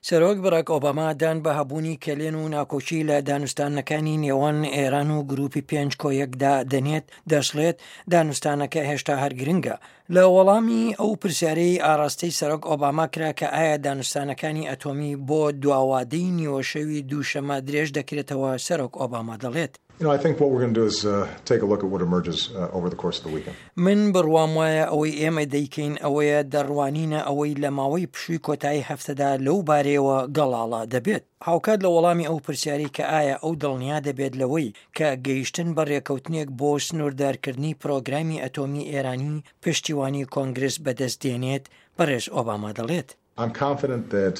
سەرۆک باراک ئۆباما دان بە هەبوونی کەلێن و ناکۆکی لە دانوستانەکانی نێوان ئێران و گروپی پێنج کۆ یەکدا دەنێت، دەشڵێت، دانوستانەکە هێشتا هەر گرنگە. لە وەڵامی ئەو پرسیارەی ئاراستەی سەرۆک ئۆباما کرا کە ئایا دانوستانەکانی ئەتۆمی بۆ دواوادەی نیوەشەوی دووشەمە درێژ دەکرێتەوە، سەرۆک ئۆباما دەڵێت. من بڕوام وایە ئەوەی ئێمە دەیکەین ئەوەیە دەڕوانینە ئەوەی لە ماوەی پشووی کۆتایی هەفتەدا لەو بارەیەوە گەڵاڵە دەبێت. هاوکات لە وەڵامی ئەو پرسیارەی کە ئایا ئەو دڵنیا دەبێت لەوەی کە گەیشتن بە رێکەوتنێک بۆ سنووردارکردنی پرۆگرامی ئەتۆمی ئێرانی پشتیوانی کۆنگرس بەدەست دێنێت، بەڕێز ئۆباما دەڵێت. I'm confident that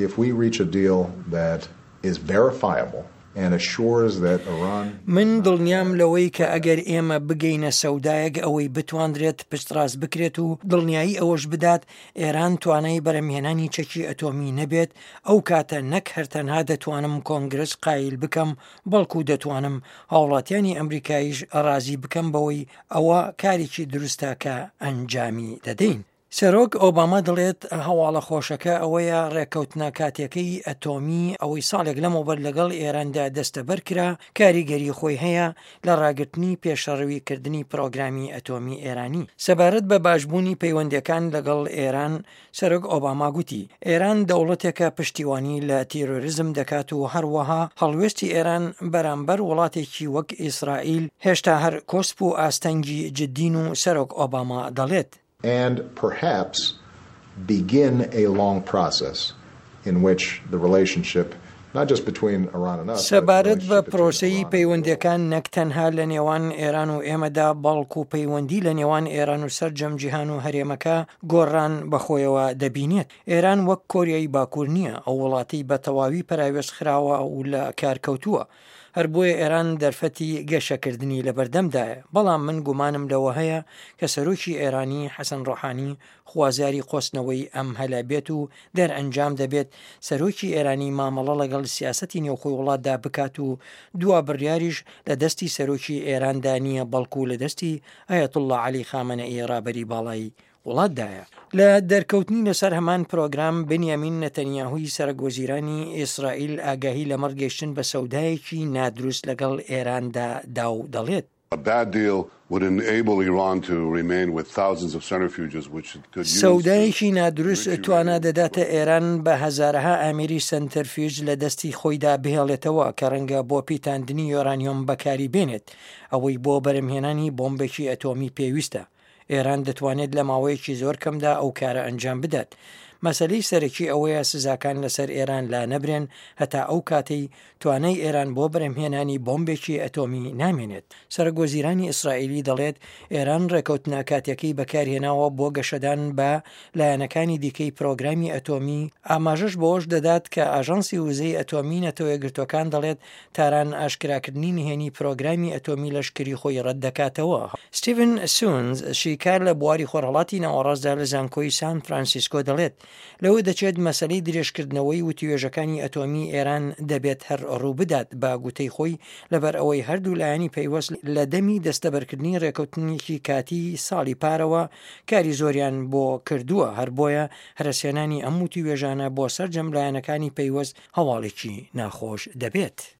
if we reach a deal that is verifiable and assures that Iran. من دڵنیام لەوەی کە ئەگەر ئێمە بگەینە سەودایەک ئەوەی بتواندرێت پشتڕاست بکرێت و دڵنیایی ئەوەش بدات ئێران توانای بەرهەمهێنانی چەکی ئەتۆمی نەبێت ئەو کاتە نەک هەر تەنها دەتوانم کۆنگرس قایل بکەم بەڵکو دەتوانم هاوڵاتیانی ئەمریکایش ڕازی بکەم بەوەی ئەوە کارێکی دروستە کە ئەنجامی دەدەین. سەرۆک ئۆباما دەڵێت هەواڵە خۆشەکە ئەوەیە ڕێککەوتنە کاتیەکەی ئەتۆمی ئەوەی ساڵێک لەمەوبەر لەگەڵ ئێراندا دەستەبەر کرا کاریگەری خۆی هەیە لە ڕاگرتنی پێشەڕەوی کردنی پرۆگرامی ئەتۆمی ئێرانی. سەبارەت بە باشبوونی پەیوەندیەکان لەگەڵ ئێران سەرۆک ئۆباما گوتی ئێران دەوڵەتێکە پشتیوانی لە تیرۆریزم دەکات و هەروەها هەڵوێستی ئێران بەرامبەر وڵاتێکی وەک ئیسرائیل هێشتا هەر کۆسپ و ئاستەنگی جدین و سەرۆک ئۆباما دەڵێت and perhaps begin a long process in which the relationship not just between Iran and us, سەبارەت بە پرۆسەی پەیوەندیەکان نەک تەنها لە نێوان ئێران و ئێمەدا بەڵکو پەیوەندی لە نێوان ئێران و سەرجەم جیهان و هەرێمەکە گۆڕان بەخۆیەوە دەبینێت. ئێران وەک کۆریای باکوور نییە، ئەو وڵاتەی بە تەواوی پەراوێز خراوە و لە کار کەوتووە. هەر بۆیە ئێران دەرفەتی گەشەکردنی لەبەردەمدایە، بەڵام من گومانم لەوە هەیە کە سەرۆکی ئێرانی، حەسەن ڕۆحانی، خوازیاری قۆستنەوەی ئەم هەلە بێت و دەرئەنجام دەبێت سەرۆکی ئێرانی مامەڵە لەگەڵ سیاسەتی نێوخۆی وڵاتدا بکات و دوا بڕیاریش لە دەستی سەرۆکی ئێراندا نییە بەڵکو لە دەستی ئایەتوڵڵا عەلی خامەنەئی ڕابەری باڵای وڵاتدایە. لە دەرکەوتنی لەسەر هەمان پرۆگرام، بنیامین نەتەنیاهوی سەرەکوەزیرانی ئیسرائیل ئاگاهی لەمەڕ گەیشتن بە سەودایەکی نادروست لەگەڵ ئێراندا دا و دەڵێت. سەودایەکی نادروست توانا دەداتە ئێران بە هەزارەها ئامێری سەنتەرفیوج لە دەستی خۆیدا بهێڵێتەوە کە ڕەنگە بۆ پیتاندنی یۆرانیۆم بەکاری بێنێت، ئەوەی بۆ بەرهەمهێنانی بۆمبێکی ئەتۆمی پێویستە. ئێران دەتوانێت لە ماوەیەکی زۆر کەمدا ئەو کارە ئەنجام بدات. مەسەلەی سەرەکی ئەوەیە سزاکان لەسەر ئێران لانەبرێن هەتا ئەو کاتەی توانای ئێران بۆ بەرهەمهێنانی بۆمبێکی ئەتۆمی نامێنێت. سەرۆکوەزیرانی ئیسرائیلی دەڵێت، ئێران ڕێکەوتنە کاتیەکەی بەکارهێناوە بۆ گەشەدان بە لایەنەکانی دیکەی پرۆگرامی ئەتۆمی، ئاماژەش بەوەش دەدات کە ئاژانسی وزەی ئەتۆمی نەتەوەیەکگرتووەکان دەڵێت تاران ئاشکراکردنی نهێنی پرۆگرامی ئەتۆمی لەشکری خۆی ڕەتدەکاتەوە. ستیڤن سونز، شیکار لە بواری خۆرهەڵاتی ناوەڕاستدا لە زانکۆی سان فرانسیسکۆ دەڵێت، لەوە دەچێت مەسەلەی درێژکردنەوەی وتوێژەکانی ئەتۆمی ئێران دەبێت هەر ڕووبدات، بە گوتەی خۆی لەبەر ئەوەی هەردوو لایەنی پەیوەست لە دەمی دەستەبەرکردنی ڕێکەوتنێکی کاتیی ساڵی پارەوە کاری زۆریان بۆ کردووە، هەر بۆیە هەرەسهێنانی ئەم وتوێژانە بۆ سەرجەم لایەنەکانی پەیوەست هەواڵێکی ناخۆش دەبێت.